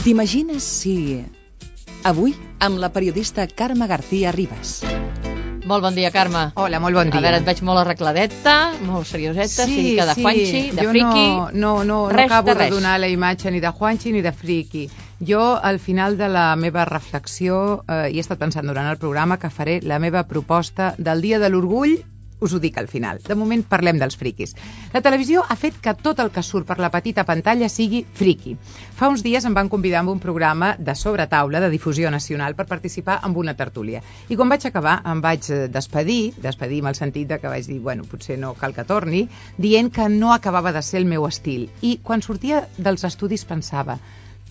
T'imagines si... Avui, amb la periodista Carme García Ribas. Molt bon dia, Carme. Hola, molt bon dia. A veure, et veig molt arregladeta, molt serioseta, sí, de Juanchi, de jo friki... no acabo de donar la imatge ni de Juanchi ni de friki. Jo, al final de la meva reflexió, he estat pensant durant el programa que faré la meva proposta del Dia de l'Orgull. Us ho dic al final. De moment parlem dels friquis. La televisió ha fet que tot el que surt per la petita pantalla sigui friqui. Fa uns dies em van convidar amb un programa de sobretaula de difusió nacional per participar en una tertúlia. I quan vaig acabar em vaig despedir amb el sentit de que vaig dir, bueno, potser no cal que torni, dient que no acabava de ser el meu estil. I quan sortia dels estudis pensava,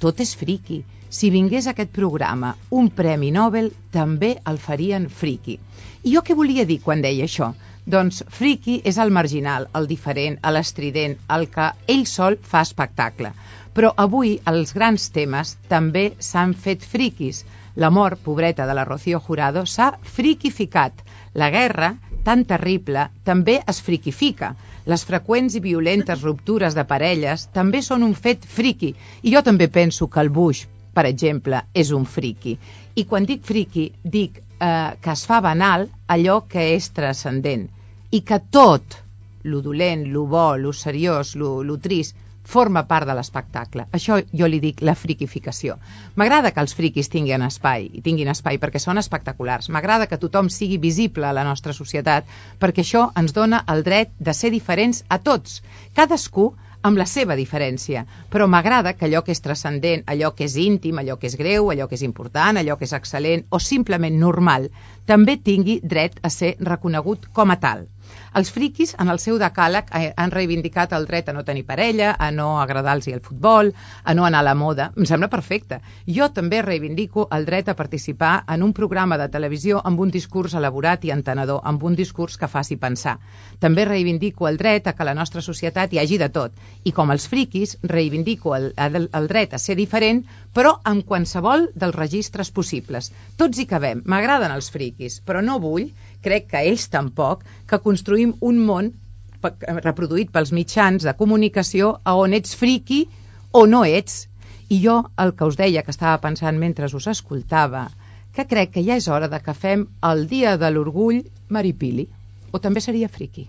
tot és friqui. Si vingués a aquest programa un premi Nobel, també el farien friqui. I jo què volia dir quan deia això? Doncs friqui és el marginal, el diferent, l'estrident, el que ell sol fa espectacle. Però avui els grans temes també s'han fet friquis. La mort, pobreta, de la Rocío Jurado s'ha friquificat. La guerra, tan terrible, també es friquifica. Les freqüents i violentes ruptures de parelles també són un fet friqui. I jo també penso que el Bush, per exemple, és un friqui. I quan dic friqui, dic que es fa banal allò que és transcendent i que tot, lo dolent, lo bo, lo seriós, lo trist, forma part de l'espectacle. Això jo li dic la friquificació. M'agrada que els friquis tinguin espai perquè són espectaculars. M'agrada que tothom sigui visible a la nostra societat perquè això ens dona el dret de ser diferents a tots. Cadascú amb la seva diferència, però m'agrada que allò que és transcendent, allò que és íntim, allò que és greu, allò que és important, allò que és excel·lent o simplement normal, també tingui dret a ser reconegut com a tal. Els friquis, en el seu decàleg, han reivindicat el dret a no tenir parella, a no agradar-los el futbol, a no anar a la moda. Em sembla perfecte. Jo també reivindico el dret a participar en un programa de televisió amb un discurs elaborat i entenedor, amb un discurs que faci pensar. També reivindico el dret a que a la nostra societat hi hagi de tot. I com els friquis, reivindico el dret a ser diferent, però amb qualsevol dels registres possibles. Tots hi cabem. M'agraden els friquis, però no vull, crec que ells tampoc, que construïm un món reproduït pels mitjans de comunicació a on ets friqui o no ets. I jo el que us deia, que estava pensant mentre us escoltava, que crec que ja és hora de que fem el Dia de l'Orgull maripili, o també seria friqui.